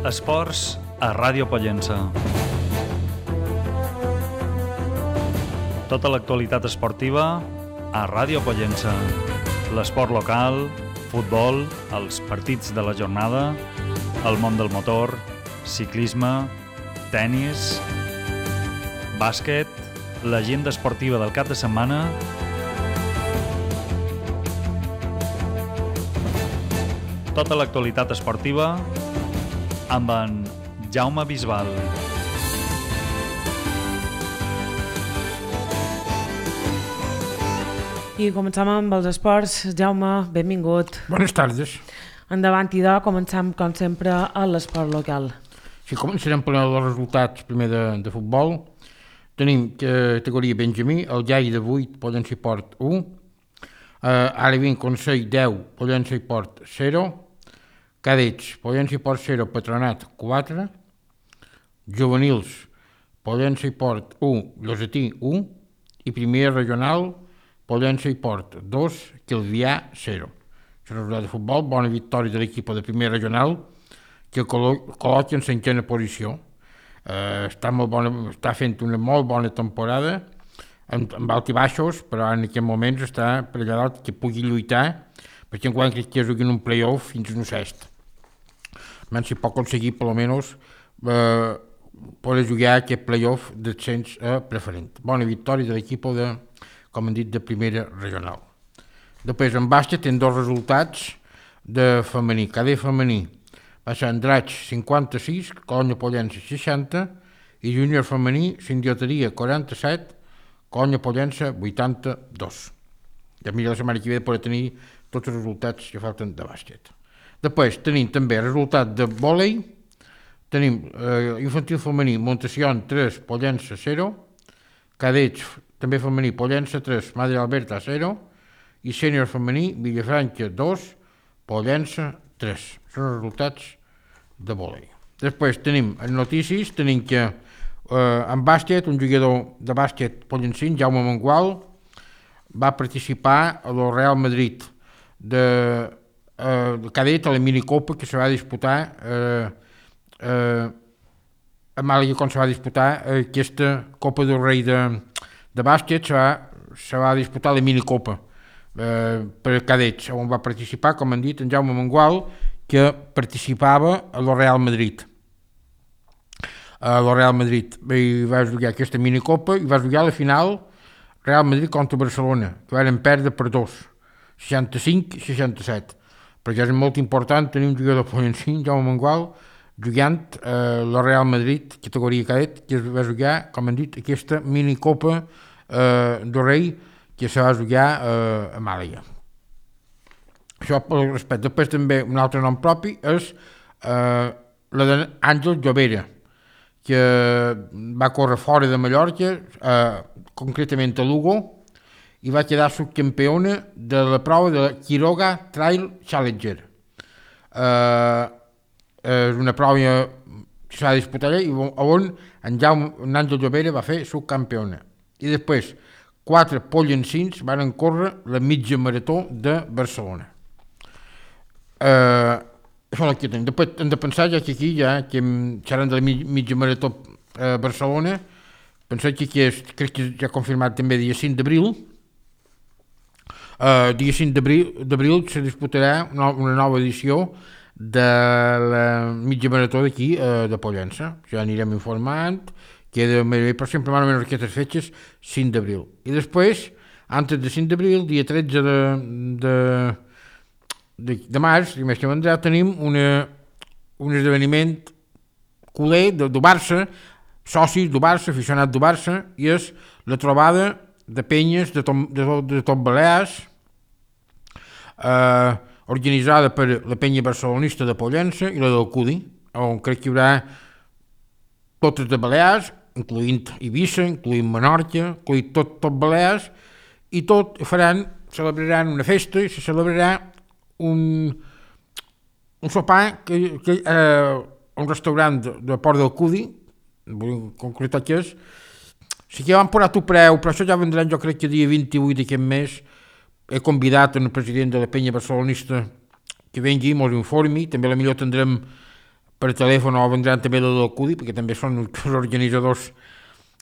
Esports a Ràdio Pollença. Tota l'actualitat esportiva a Ràdio Pollença. L'esport local, futbol, els partits de la jornada, el món del motor, ciclisme, tennis, bàsquet, l'agenda esportiva del cap de setmana. Tota l'actualitat esportiva amb en Jaume Bisbal. I comencem amb els esports. Jaume, benvingut. Bones tardes. Endavant, idò, comencem, com sempre, a l'esport local. Sí, començarem per els resultats primer de futbol. Tenim categoria Benjamí, el Gai de 8, Pollença i Port 1, ara vinc Consell 10, Pollença i Port 0, Cadets, Pollença i Port 0, Patronat 4, Juvenils, Pollença i Port 1, Llosetí 1, i Primera Regional, Pollença i Port 2, Calvià 0. És un resultat de futbol, bona victòria de l'equip de Primera Regional, que col·loca en cinquena posició. Està fent una molt bona temporada, amb alt i baixos, però en aquests moments està per allà dalt que pugui lluitar, perquè enguany crec que es juguin un play-off fins a un sexto. Si pot aconseguir per almenys poder jugar aquest play-off d'ascens preferent. Bona victòria de l'equip com hem dit, de Primera Regional. Després en bàsquet tenen dos resultats de femení. Cadet femení va ser Andratx 56, Colònia Pollença 60 i júnior femení Sindioteria 47, Colònia Pollença 82. Ja mira la setmana que ve de poder tenir tots els resultats que falten de bàsquet. Després tenim també resultat de vòlei, tenim infantil femení Montession 3, Pollença 0, cadets també femení Pollença 3, Madre Alberta 0 i sènior femení Villafranca 2, Pollença 3. Són els resultats de vòlei. Després tenim en notícies, tenim que en bàsquet, un jugador de bàsquet pollencín, Jaume Mangual, va participar a la Real Madrid de cadet a la minicopa que se va disputar a Màlaga, quan se va disputar aquesta Copa del Rei de bàsquet, se va disputar la minicopa per cadets, on va participar, com han dit, en Jaume Mangual, que participava a la Real Madrid. A la Real Madrid va jugar aquesta minicopa i va jugar a la final Real Madrid contra Barcelona, que van perdre per 2, 65-67. Perquè és molt important tenir un jugador pollencí, Jaume Mangual, jugant a la Real Madrid, categoria cadet, que es va jugar, com han dit, aquesta minicopa del Rei, que se va jugar a Màlaga. Això per respecte. Després també un altre nom propi és la d'Àngel Llobera, que va córrer fora de Mallorca, concretament a Lugo, i va quedar subcampiona de la prova de la Quiroga Trail Challenger. És una prova que s'ha de disputar allà i on en Àngel Llobera va fer subcampiona. I després 4 pollencins van córrer la mitja marató de Barcelona. Això és el que tenim. Després hem de pensar ja que aquí, que seran de la mitja marató a Barcelona, pensar que aquí crec que ja ha confirmat també dia 5 d'abril. Dia 5 d'abril se disputarà una nova edició de la mitja marató d'aquí de Pollença. Ja anirem informant, però sempre van a aquestes fetges 5 d'abril. I després, antes de 5 d'abril, dia 13 de març, dimecres que vendrà, tenim un esdeveniment culer del Barça, socis del Barça, aficionats del Barça, i és la trobada de penyes de tot Balears, organitzada per la penya barcelonista de Pollença i la del Cudi, on crec que hi haurà totes de Balears, incloent Eivissa, incloent Menorca, incloent tot Balears, i tot celebraran una festa i se celebrarà un sopar a un restaurant de Port del Cudi, vull concretar que és. Sí que van posar tu preu, però això ja vendran, jo crec que dia 28 d'aquest mes. He convidat el president de la penya barcelonista que vengui i ens informi. També potser tindrem per telèfon o vendran també la del CUDI, perquè també són els organitzadors.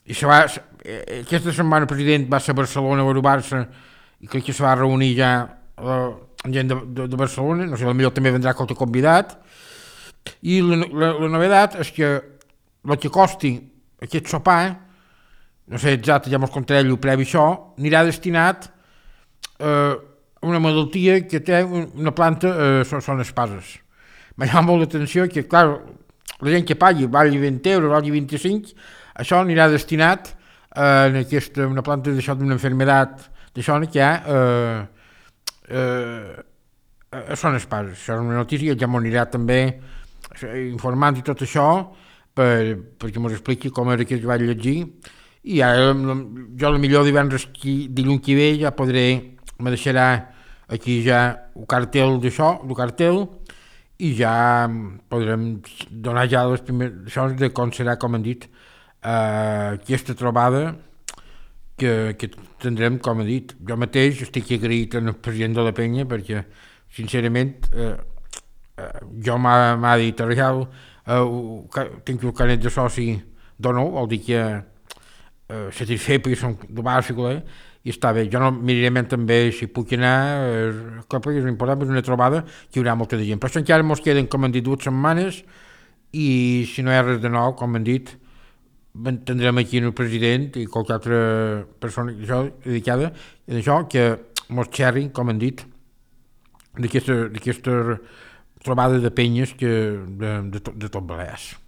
I aquesta setmana el president va ser a Barcelona a Barça i crec que se va reunir ja gent de Barcelona, no sé, potser també vendrà qualque convidat. I la novedat és que el que costi aquest sopar, no sé exacte, ja mos contaré el previ això, anirà destinat a una malaltia que té una planta, són espases. M'ha llamat molt l'atenció que, clar, la gent que pagui, valgui 20 euros, valgui 25, això anirà destinat a una planta d'això, d'una enfermedad d'això que hi ha són espases. Això és una notícia, ja m'ho anirà també informant i tot això perquè m'ho expliqui com era que es va llegir. I ara jo millor dilluns que ve ja me deixarà aquí ja el cartell d'això, el cartell, i ja podrem donar ja les primeres això de com serà, com han dit, aquesta trobada que tindrem, com he dit. Jo mateix estic agraït al president de la penya perquè, sincerament, jo m'ha dit real, tinc el carnet de soci dono, vol dir que satisfet perquè som de bàsica, i està bé. Jo no miraré també si puc anar, és important, és una trobada que hi haurà molta de gent. Però això encara ens queden, com han dit, 2 setmanes, i si no hi ha res de nou, com han dit, tindrem aquí el president i qualque altra persona dedicada a això, que ens xerrin, com han dit, d'aquesta trobada de penyes de tot Balears.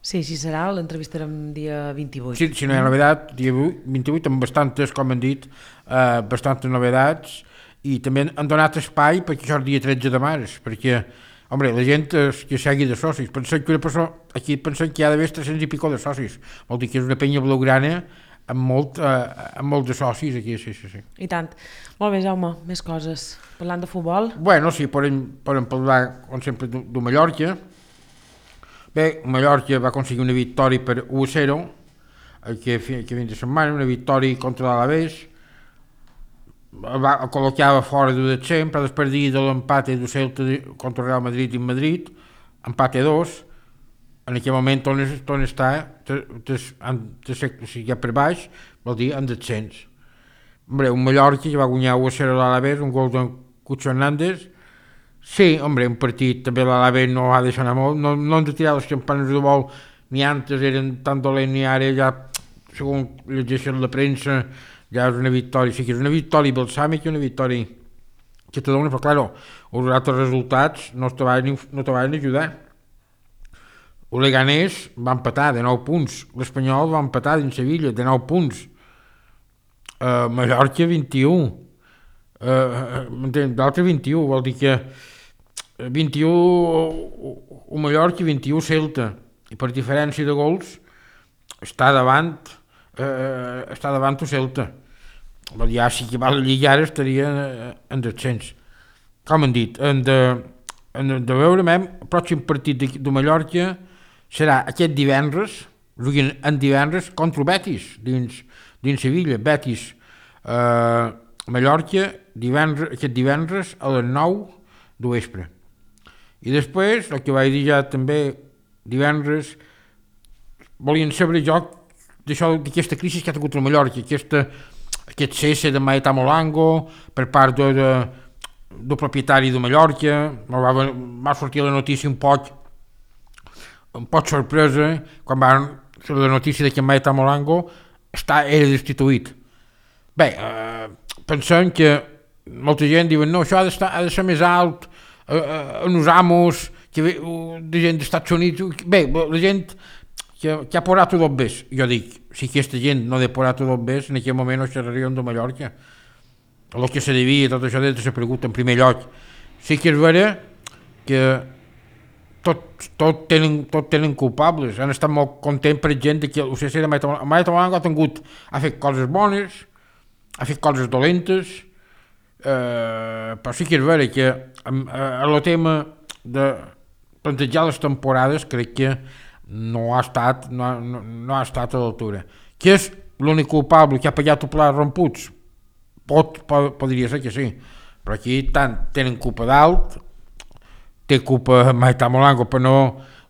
Sí, així serà, l'entrevistarem dia 28. Sí, si no hi ha novedat, dia 28, amb bastantes, com han dit, bastantes novedats, i també han donat espai perquè això és el dia 13 de març, perquè, home, la gent que segui de socis, aquí pensem que hi ha d'haver 300 i pico de socis, vol dir que és una penya blaugrana amb molt de socis aquí, sí. I tant. Molt bé, Jaume, més coses. Parlant de futbol? Bueno, sí, podem parlar, com sempre, de Mallorca. Bé, Mallorca va aconseguir una victòria per 1-0 que fins de setmana, una victòria contra l'Alavés, el col·locava fora de descens, però després de l'empat de Celta contra el Real Madrid i Madrid, empat a 2, en aquell moment on està, si hi ha per baix, vol dir en descens. Un Mallorca que va guanyar 1-0 a l'Alavés, un gol d'en Cucho Hernández. Sí, un partit també l'Alavés no ha de sonar molt, no han de tirar les campanes de vol, ni antes eren tan dolents ni ara, ja, segons llegeixen la premsa, ja és una victòria, sí que és una victòria balsàmica i una victòria que te dona, però clar, els altres resultats no te van ajudar. El Leganés va empatar de 9 punts, l'Espanyol va empatar dins Sevilla de 9 punts, Mallorca 21, d'altre 21, vol dir que 21 o Mallorca i 21 Celta, i per diferència de gols està davant o Celta. Ja si que va la Lliga ara estaria en descens. Com han dit, hem de veure el pròxim partit de Mallorca serà aquest divendres, en divendres contra el Betis dins Sevilla. Betis Mallorca aquest divendres a les 9 de vespre. I després, el que vaig dir ja també divendres, volien saber jo d'aquesta crisi que ha tingut a Mallorca, aquest cesse de Maeta Molango per part del propietari de Mallorca. Va sortir la notícia un poc sorpresa quan va ser la notícia que Maeta Molango era destituït. Bé, pensem que molta gent diuen no, això ha de ser més alt en els amos de gent dels Estats Units. Bé, la gent que ha posat tot bé. Jo dic, si aquesta gent no ha posat tot bé, en aquell moment no xerraríem de Mallorca. El que se devia, tot això de ser pregut en primer lloc. Sí que és vera que tot tenen culpables. Han estat molt contents, per exemple, que el CC de Maeta Molango ha fet coses bones, ha fet coses dolentes, però sí que és vera que el tema de plantejar les temporades crec que no ha estat a l'altura. Qui és l'únic culpable que ha pagat el pla romputs? Podria ser que sí, però aquí tant tenen culpa d'alt, té culpa Maità Molango, però no,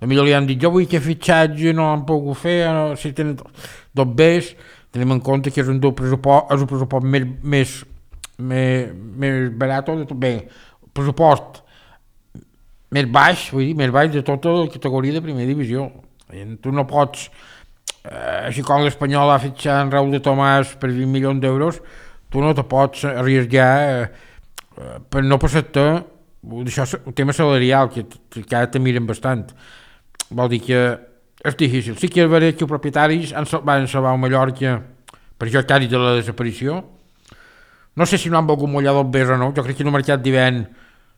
potser li han dit, jo vull que fitxatge no l'han pogut fer, no, si tenen tot bé, tenim en compte que és un pressupost més barat, bé, pressupost més baix, vull dir, més baix de tota la categoria de primera divisió. Tu no pots, així com l'Espanyol ha fitxat en Raúl de Tomàs per 20 milions d'euros, tu no te pots arriesgar per no passar-te, això és un tema salarial, que ara te miren bastant. Vol dir que és difícil. Sí que és veritat que els propietaris van salvar el Mallorca per això quasi de la desaparició. No sé si no han volgut mullar dos bes o no, jo crec que en el mercat d'hivern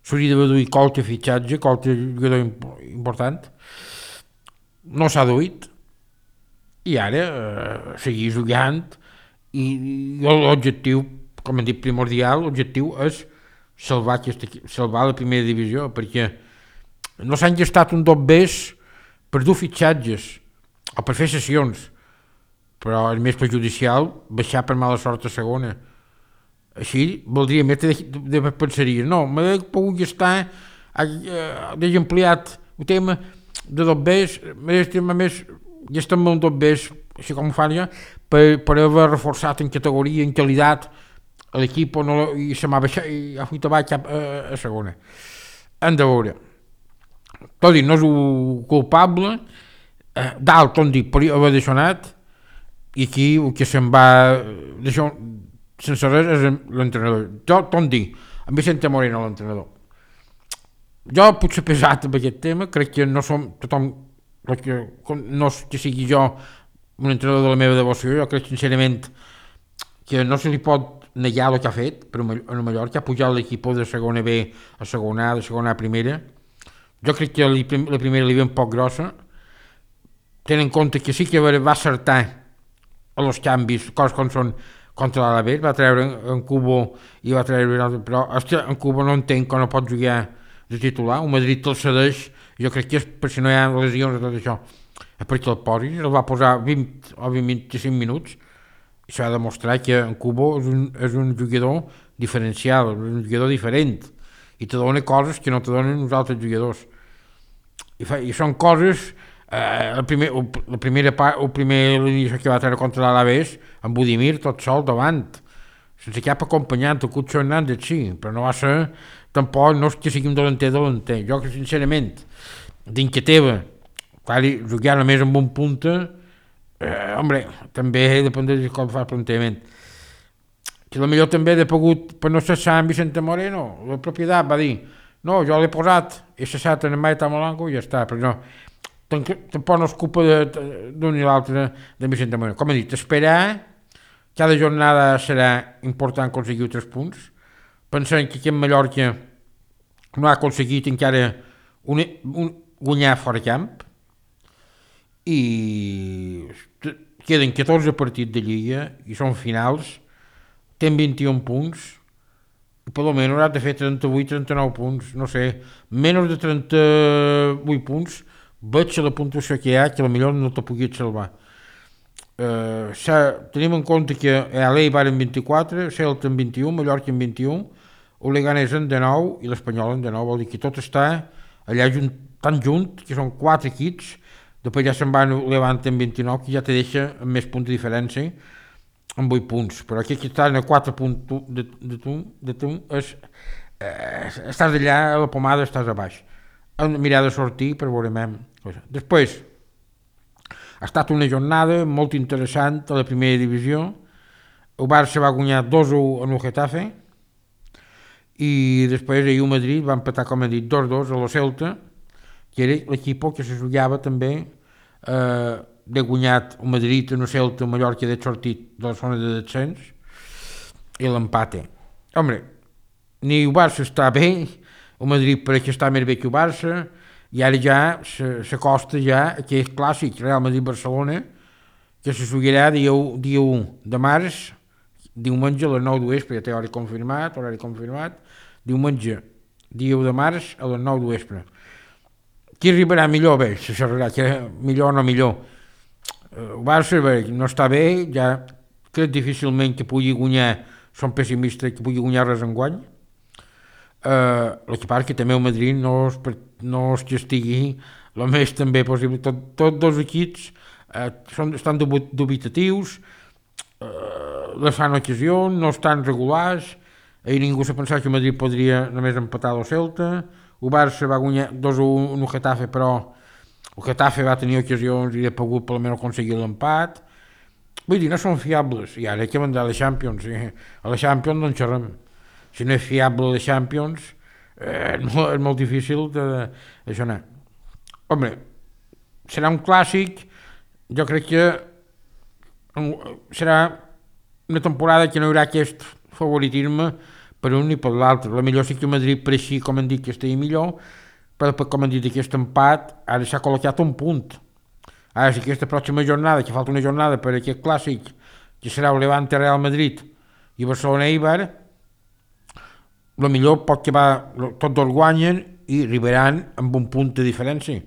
s'hauria de duir qualque fitxatge, qualque jugador important. No s'ha duit i ara seguir jugant i l'objectiu, com hem dit, primordial, l'objectiu és salvar la primera divisió, perquè no s'han gestat un dos bes per dur fitxatges o per fer sessions, però és més perjudicial baixar per mala sort a segona. Així voldria més de pensaria, no, m'he pogut gestar, hagi ampliat el tema de dos bes, més gestar-me un dos bes, així com ho fan ja, per haver reforçat en categoria, en qualitat, l'equip i se m'ha baixat i ha fet avall cap a segona. Hem de veure. Tot dit, no és un culpable, dalt, on dic, per haver deixonat, i aquí el que se'n va sense res és l'entrenador. Jo, tot dic, en Vicente Moreno, l'entrenador. Jo, potser pesat amb aquest tema, crec que no som tothom, no que sigui jo un entrenador de la meva devoció, jo crec sincerament que no se li pot negar el que ha fet per a Mallorca, ha pujat l'equip de segona B a segona A, de segona A a primera. Jo crec que la primera li ve un poc grossa, tenint en compte que sí que va acertar a los canvis, coses com són contra l'Alavés, va treure en Cubo i va treure un altre, però en Cubo no entenc que no pot jugar de titular, el Madrid el cedeix, jo crec que és per si no hi ha lesions i tot això, és perquè el posis, el va posar 20 o 25 minuts, i s'ha de demostrar que en Cubo és un jugador diferencial, un jugador diferent, i te dona coses que no te donen els altres jugadors. I són coses, el primer inici que va treure contra l'Alavés, amb Budimir tot sol davant, sense cap acompanyant, el Cucho Hernández sí, però no va ser, tampoc no és que sigui un delanter. Jo que sincerament, d'Inqueteva, jugar només amb un punta, home, també depèn de com fa el plantejament. Que potser també he pogut, per no cessar en Vicente Moreno, la propietat va dir, no, jo l'he posat, he cessat en Maità Molango i ja està, però no, tampoc no és culpa d'un i l'altre de Vicente Moreno. Com he dit, esperar, cada jornada serà important aconseguir 3 punts, pensant que aquí en Mallorca no ha aconseguit encara guanyar fora camp, i queden 14 partits de Lliga i són finals, ten 21 punts, i per almenys haurà de fer 38-39 punts, no sé, menys de 38 punts, veig la puntuació que hi ha, que potser no te pugui salvar. Tenim en compte que l'Ei va en 24, Celta en 21, Mallorca en 21, el Leganés en 19 i l'Espanyol en 19, vol dir que tot està allà tan junt, que són 4 equips, després ja se'n va Levant en 29, que ja te deixa amb més punts de diferència, amb 8 punts, però aquí que estan a 4 punts de tu estàs allà, a la pomada estàs a baix. Hem de mirar de sortir per veure més. Després, ha estat una jornada molt interessant a la primera divisió. El Barça va guanyar 2-1 en el Getafe i després el Madrid va empatar, com he dit, 2-2 a la Celta, que era l'equip que se jugava també de guanyat el Madrid en el Celta, el Mallorca de sortit de la zona de descens i l'empate. Home, ni el Barça està bé, el Madrid pareix que està més bé que el Barça, i ara ja s'acosta ja aquest clàssic Real Madrid-Barcelona, que se jugarà dia 1 de març, diumenge a les 9 d'oespre, ja té horari confirmat, diumenge, dia 1 de març a les 9 d'oespre. Qui arribarà millor? Bé, se xerrarà, que millor o no millor. El Barça no està bé, ja crec difícilment que pugui guanyar, som pessimistes, que pugui guanyar res enguany. el que passa que també el Madrid no es castigui el més també possible. Tots dos equips estan dubitatius, les fan ocasions, no estan regulars. Ahir ningú s'ha pensat que el Madrid podria només empatar el Celta. El Barça va guanyar 2-1 el Getafe, però el Getafe va tenir ocasions i ha pogut per almenys aconseguir l'empat. Vull dir, no són fiables. I ara hay que mandar a la Champions. A la Champions no en xerrem. Si no és fiable a la Champions, és molt difícil d'això anar. Home, serà un clàssic. Jo crec que serà una temporada que no hi haurà aquest favoritisme per un ni per l'altre. La millor sí que Madrid, per així, com han dit, que estigui millor, però com han dit, aquest empat ara s'ha col·locat un punt. Ara, si aquesta pròxima jornada, que falta una jornada per aquest clàssic, que serà el Levante Real Madrid i Barcelona Eibar, el millor pot que tots dos guanyen i arribaran amb un punt de diferència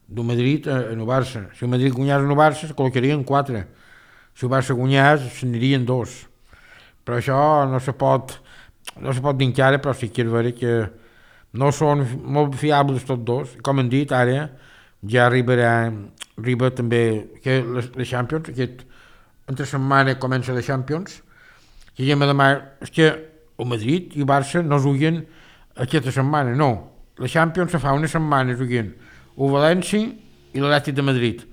del Madrid en el Barça. Si el Madrid guanyés en el Barça, se col·locarien 4. Si el Barça guanyés, se n'anirien 2. Però això no se pot dir encara, però sí que és vera que no són molt fiables tots dos. Com han dit, ara ja arriba també que la Champions, entre setmana comença la Champions, que ja me demana, és que el Madrid i el Barça no juguen aquesta setmana, no. La Champions se fa una setmana juguen el València i l'Atlètic de Madrid.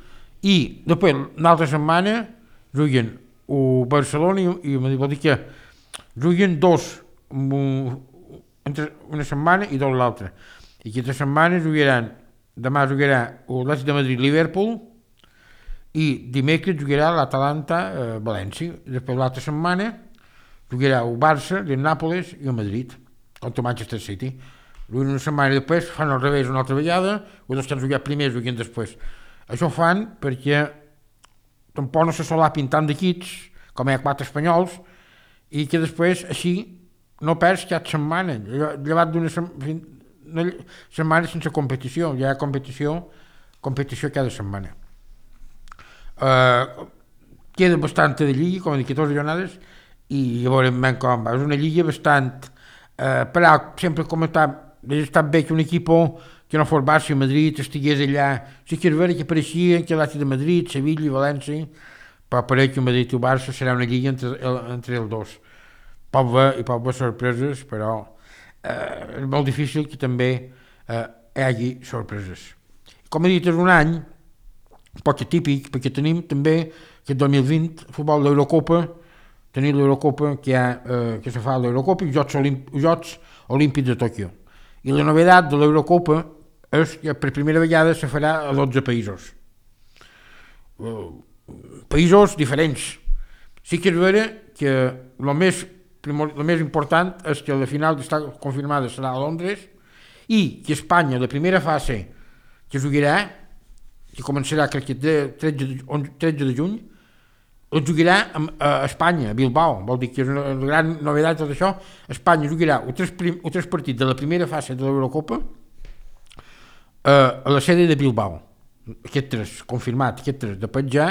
I després, una altra setmana, juguen el Barcelona i el Madrid. Vol dir que juguen dos entre una setmana i dos l'altra. I aquesta setmana demà jugarà l'Atlètic de Madrid-Liverpool i dimecres jugarà l'Atalanta-València. Després l'altra setmana jugarà el Barça, el Nàpoles i el Madrid contra Manchester City. Una setmana després fan al revés una altra vegada, els dos que han jugat primer juguen després. Això ho fan perquè tampoc no se solapin tant d'equips, com hi ha 4 espanyols, i que després així no perds cap setmana, llevat d'una setmana sense competició, hi ha competició cada setmana. Queda bastant de lliga, com he dit, 14 jornades, i ja veurem ben com va. És una lliga bastant... però sempre com hauria estat bé que un equip que no fos Barça i Madrid estigués allà. Sí que és vera que pareixien que l'Atlètic de Madrid, Sevilla i València, però pareix que el Madrid i el Barça serà una lliga entre els dos. Pot haver sorpreses, però és molt difícil que també hi hagi sorpreses. Com he dit, és un any poc típic, perquè tenim també que el 2020 el futbol d'Eurocopa, tenim l'Eurocopa que se fa a l'Eurocopa i els Jocs Olímpics de Tòquio. I la novetat de l'Eurocopa és que per primera vegada se farà a 12 països. Països diferents. Sí que és vera que el més important és que la final està confirmada serà a Londres i que Espanya, la primera fase que jugarà, que començarà crec que el 13 de juny, el jugarà a Espanya, a Bilbao. Vol dir que és una gran novetat tot això. Espanya jugarà els tres partits de la primera fase de l'Eurocopa a la sede de Bilbao. Aquests tres, confirmat, aquests tres. Després ja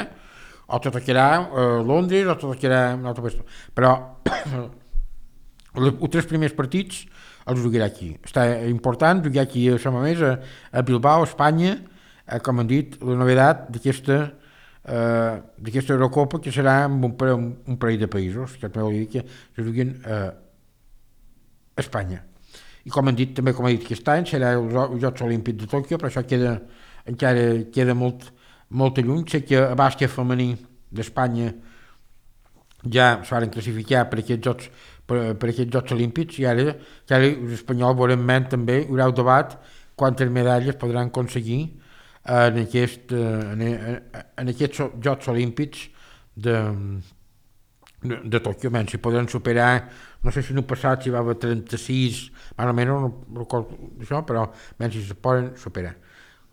o te tocarà Londres o te tocarà una altra qüestió. Però els tres primers partits els jugarà aquí. Està important jugar aquí a Sant Mamés, a Bilbao, a Espanya, com han dit, la novetat d'aquesta Eurocopa, que serà amb un parell de països, que vol dir que se juguen a Espanya. I com han dit, també com ha dit aquest any, serà els Jocs Olímpics de Tòquio, però això encara queda molt lluny. Sé que a bàsquet femení d'Espanya ja es van classificar per aquests Jocs Olímpics i ara els espanyols veurem també, hi haurà el debat quantes medalles podran aconseguir en aquests Jocs Olímpics de Tòquio. Si podran superar, no sé si no passat si va haver 36, més o menys, no recordo això, però si se poden superar.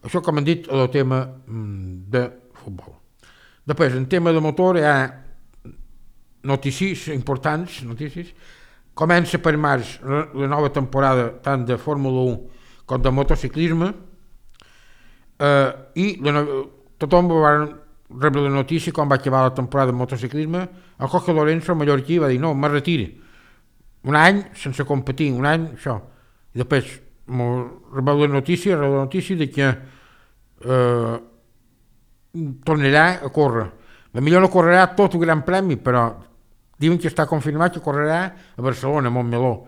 Això, com han dit, el tema de futbol. Després, en tema de motor, hi ha notícies importants. Comença per març la nova temporada tant de Fórmula 1 com de motociclisme, i tothom va rebre la notícia quan va acabar la temporada de motociclisme. El Jorge Lorenzo, mallorquí, va dir no, me retiri un any sense competir, un any això, I després rebeu la notícia de que tornarà a córrer. La millor no correrà tot el Gran Premi, però diuen que està confirmat que correrà a Barcelona, a Montmeló.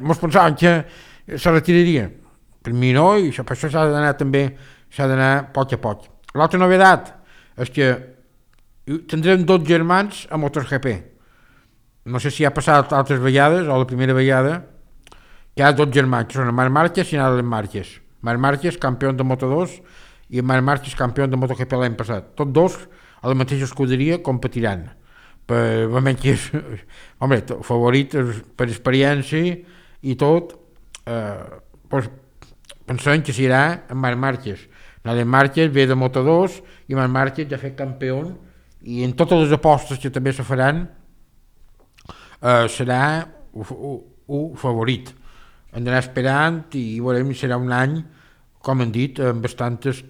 Mos pensaven que se retiraria. Per mi no, i per això s'ha d'anar a poc a poc. L'altra novetat és que tindrem 2 germans a MotoGP. No sé si ha passat altres vegades, o la primera vegada, que hi ha 2 germans, que són Marc Márquez i Alex Márquez. Marc Márquez, campió de Moto2, i Marc Márquez, campió de MotoGP l'any passat. Tots 2 a la mateixa escuderia competiran. Home, favorit per experiència i tot, pensem que serà en Marc Márquez. Alex Márquez ve de Moto2 i Marc Márquez ja ha fet campió, i en totes les apostes que també se faran serà un favorit. Hem d'anar esperant i veurem si serà un any, com hem dit, amb bastantes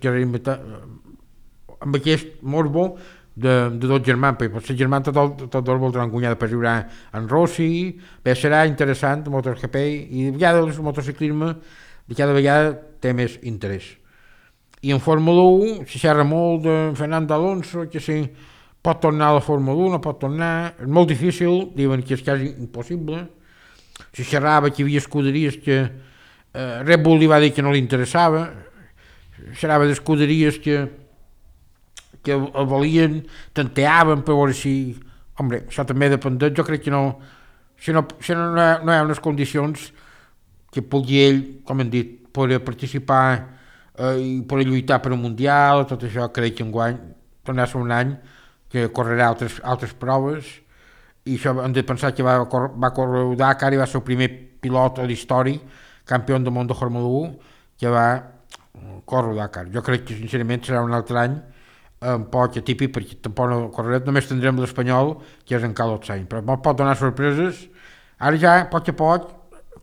amb aquest morbo de 2 germans, perquè potser germans tots 2 voldran guanyar per jugar en Rossi. Bé, serà interessant el MotoGP, i de vegades el motociclisme de cada vegada té més interès. I en Fórmula 1 s'hi xerra molt de Fernando Alonso, que si pot tornar a la Fórmula 1, no pot tornar, és molt difícil, diuen que és quasi impossible. Si xerrava que hi havia escuderies que Red Bull li va dir que no li interessava, xerrava d'escuderies que el volien, tanteaven per veure si... Home, això també depèn, jo crec que no, si no hi ha unes condicions que pugui ell, com hem dit, poder participar i poder lluitar per un mundial, tot això crec que enguany tornarà a ser un any que correrà altres proves, i això hem de pensar que va córrer el Dakar i va ser el primer pilot a l'història, campió del món de Fórmula 1, que va córrer el Dakar. Jo crec que sincerament serà un altre any un poc atípic, perquè tampoc no correrà, només tindrem l'Espanyol, que és en Carlos Sainz, però pot donar sorpreses. Ara ja, a poc,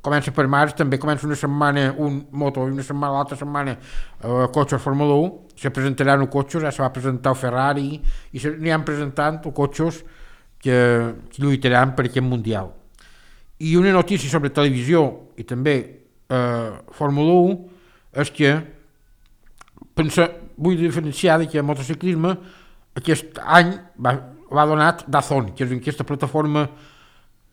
comença per març, també comença una setmana un moto i l'altra setmana cotxes Fórmula 1, se presentaran els cotxes, ja se va presentar el Ferrari, i aniran presentant els cotxes que lluitaran per aquest mundial. I una notícia sobre televisió i també Fórmula 1 és que vull diferenciar que el motociclisme aquest any va donar DAZN, que és aquesta plataforma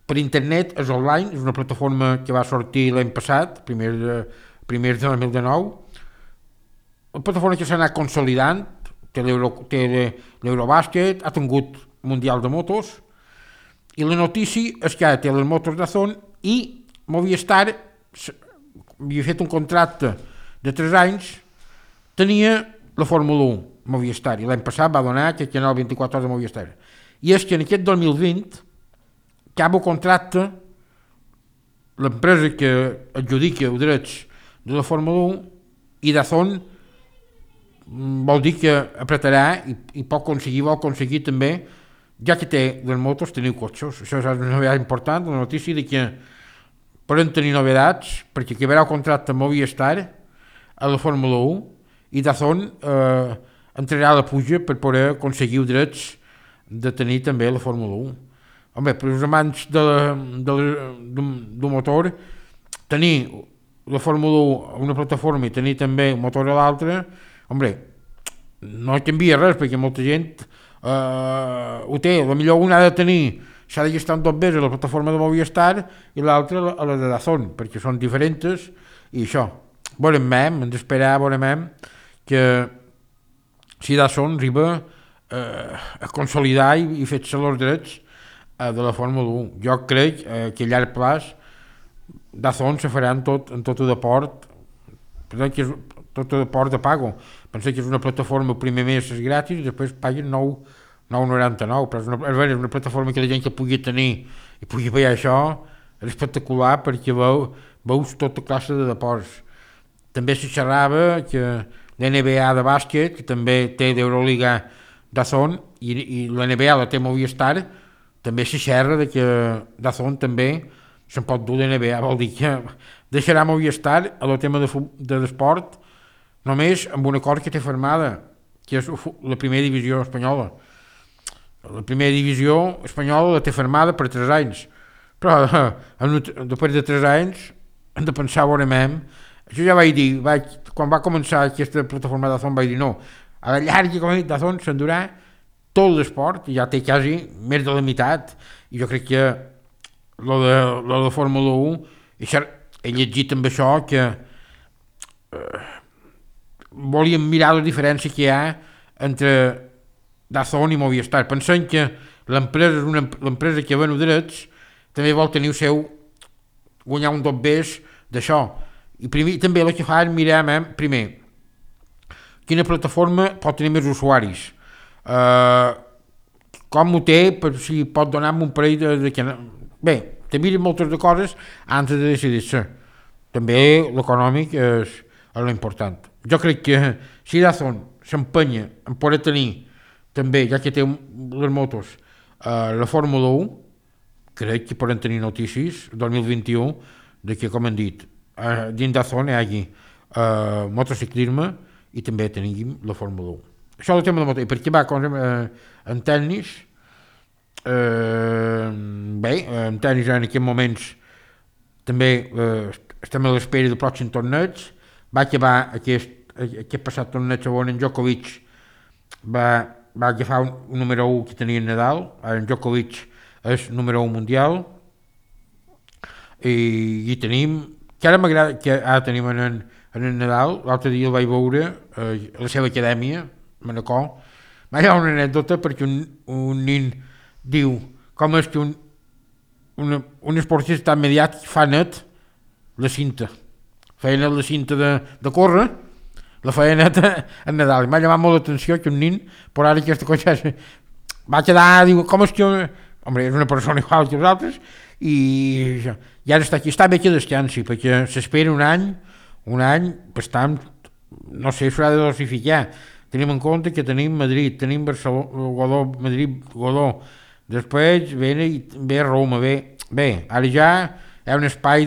per internet, és online, és una plataforma que va sortir l'any passat, primer de 2019, una plataforma que s'ha anat consolidant, té l'Eurobàsquet, ha tingut Mundial de Motos, i la notícia és que ara té les motos DAZN i Movistar havia fet un contracte de 3 anys, tenia la Fórmula 1 Movistar, i l'any passat va donar aquest canal 24 hores de Movistar. I és que en aquest 2020 acaba el contracte, l'empresa que adjudica els drets de la Fórmula 1, i DAZN vol dir que apretarà i vol aconseguir també, ja que té les motos, tenir cotxes. Això és una novetat important, una notícia de que poden tenir novedats, perquè acabarà el contracte amb Movistar a la Fórmula 1, i DAZN entrarà a la puja per poder aconseguir els drets de tenir també la Fórmula 1. Home, per als amants d'un motor, tenir la Fórmula 1 a una plataforma i tenir també un motor a l'altra, home, no canvia res, perquè molta gent ho té. Potser un ha de tenir, s'ha de gastar 2 vegades a la plataforma de Movistar i l'altra a la de DAZN, perquè són diferents, i això. Veurem, hem d'esperar, veurem que si DAZN arriba a consolidar i fer-se els drets de la Fórmula 1. Jo crec que a llarg plaç DAZN se farà en tot el deport, tot el deport de pago. Pensé que és una plataforma el primer mes és gratis i després paguen 9,99, però és una plataforma que la gent que pugui tenir i pugui veure això és espectacular, perquè veus tota classe de deports. També se xerrava que l'NBA de bàsquet, que també té l'Euroliga DAZN, i l'NBA la té Movistar, també se xerra que DAZN també se'n pot dur l'NBA, vol dir que deixarà Movistar a el tema de l'esport només amb un acord que té firmada, que és la primera divisió espanyola. La primera divisió espanyola la té firmada per 3 anys, però després de 3 anys hem de pensar a veure això ja vaig dir, quan va començar aquesta plataforma d'Azón vaig dir no, a la llarga com he dit d'Azón s'endurà tot l'esport, ja té quasi més de la meitat, i jo crec que lo de Fórmula 1, he llegit amb això que volíem mirar la diferència que hi ha entre DAZN i Movistar, pensant que l'empresa és l'empresa que ven drets, també vol tenir el seu, guanyar un dos bes d'això, i també el que fa és mirar primer quina plataforma pot tenir més usuaris, com ho té, per si pot donar-me un parell de... Bé, te miren moltes de coses abans de decidir-se. També l'econòmic és l'important. Jo crec que si DAZN s'empenya en poder tenir també, ja que té les motos, la Fórmula 1, crec que poden tenir notícies 2021 de que, com hem dit, dins DAZN hi hagi motociclisme i també tenim la Fórmula 1. Això és el tema de motor. I per què va en tennis? Bé, en tennis en aquests moments també estem a l'espera del pròxim torneig. Va acabar aquest passat torneig on en Djokovic va agafar un número 1 que tenia Nadal. En Djokovic és número 1 mundial i tenim, que ara m'agrada que ara tenim en Nadal. L'altre dia el vaig veure a la seva acadèmia Manacor. Hi ha una anècdota perquè un nin diu com és que un esportista tan mediàtic fa net la cinta. Feia net la cinta de córrer, la feia net en Nadal. M'ha llamat molt l'atenció que un nin, però ara aquesta cosa va quedar, diu, com és que... Home, és una persona igual que els altres i ara està aquí. Està bé que descansi, perquè s'espera un any bastant, no sé, s'haurà de dosificar. Tenim en compte que tenim Madrid, tenim Barcelona, Madrid, Godó, després ve Roma, bé, ara ja hi ha un espai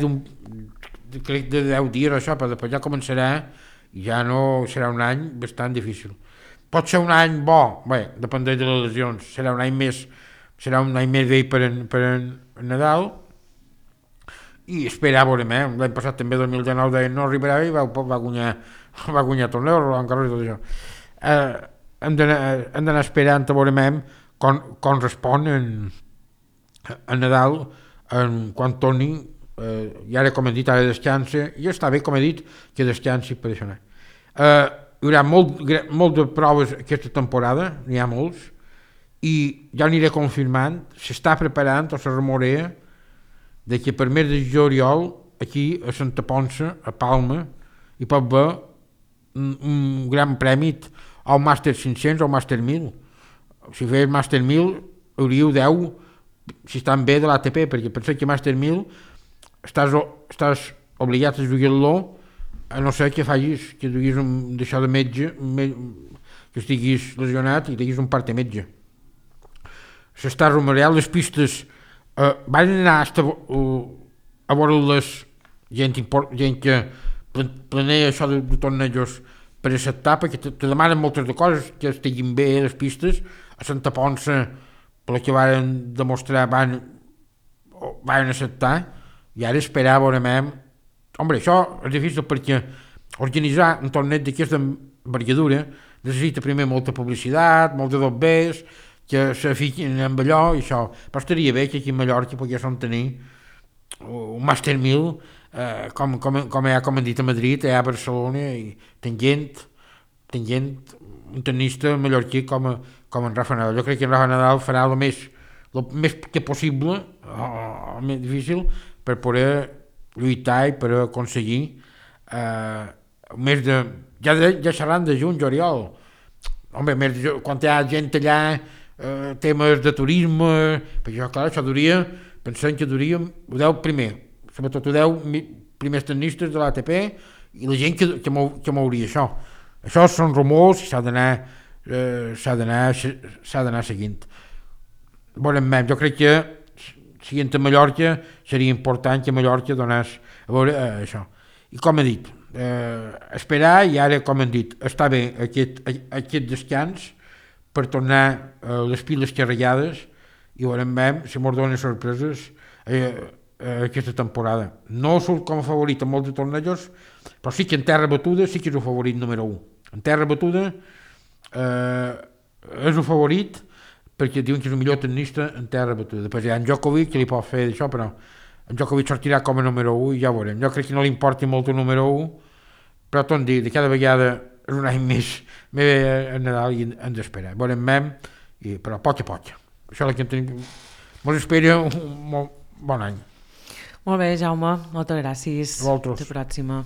crec de 10 dies això, però després ja començarà i ja no serà un any bastant difícil. Pot ser un any bo, bé, depèn de les lesions, serà un any més bé per Nadal i esperar a veure, l'any passat també 2019 no arribarà i va guanyar torneu, Roland Garros i tot això. Hem d'anar esperant a veure com respon en Nadal quan torni, i ara com he dit ara descansa i està bé com he dit que descansi per això. Hi haurà molt de proves aquesta temporada, n'hi ha molts i ja aniré confirmant, s'està preparant o se rumorea de que per mes de juliol aquí a Santa Ponça, a Palma hi pot haver un gran premi o un Màster 500 o un Màster 1000. Si fes Màster 1000 hauríeu 10 si estan bé de l'ATP, perquè penseu que Màster 1000 estàs obligat a jugar-lo a no ser que facis, que duguis d'això de metge, que estiguis lesionat i tinguis un part de metge. S'està rumoreant les pistes, van anar a veure les gent que planea això de tornejos per acceptar, perquè te demanen moltes de coses que estiguin bé les pistes. A Santa Ponça, per la que van demostrar, van acceptar, i ara esperar a veure això és difícil perquè organitzar un torneig d'aquesta envergadura necessita primer molta publicitat, molt de dobbers que se fiquin amb allò i això, però estaria bé que aquí a Mallorca poguéssim tenir un Màster 1000 com hem dit a Madrid, a Barcelona, i tenint un tenista mallorquí com en Rafa Nadal. Jo crec que en Rafa Nadal farà el més que possible, el més difícil, per poder lluitar i per aconseguir més de... Ja seran de juny, juliol. Home, quan hi ha gent allà, temes de turisme, perquè clar, això duria, pensem que duria, ho deu primer, sobretot ho deu primers tenistes de l'ATP i la gent que mouria això. Això són rumors i s'ha d'anar seguint. Jo crec que siguent a Mallorca seria important que Mallorca donés a veure això. I com he dit, esperar, i ara com hem dit, està bé aquest descans per tornar les piles carregades i veurem si mos donen sorpreses aquesta temporada. No surt com a favorit en molts tornejos, però sí que en terra batuda sí que és el favorit número 1. En terra batuda és el favorit perquè diuen que és el millor tennista en terra batuda. Després hi ha en Djokovic que li pot fer això, però en Djokovic sortirà com a número 1 i ja ho veurem. Jo crec que no li importi molt el número 1, però tot dir, de cada vegada és un any més a Nadal i hem d'esperar. Veurem però poc a poc. Això és el que tenim. Ens espera un bon any. Molt bé, Jaume, moltes gràcies. A vosaltres. Fins la pròxima.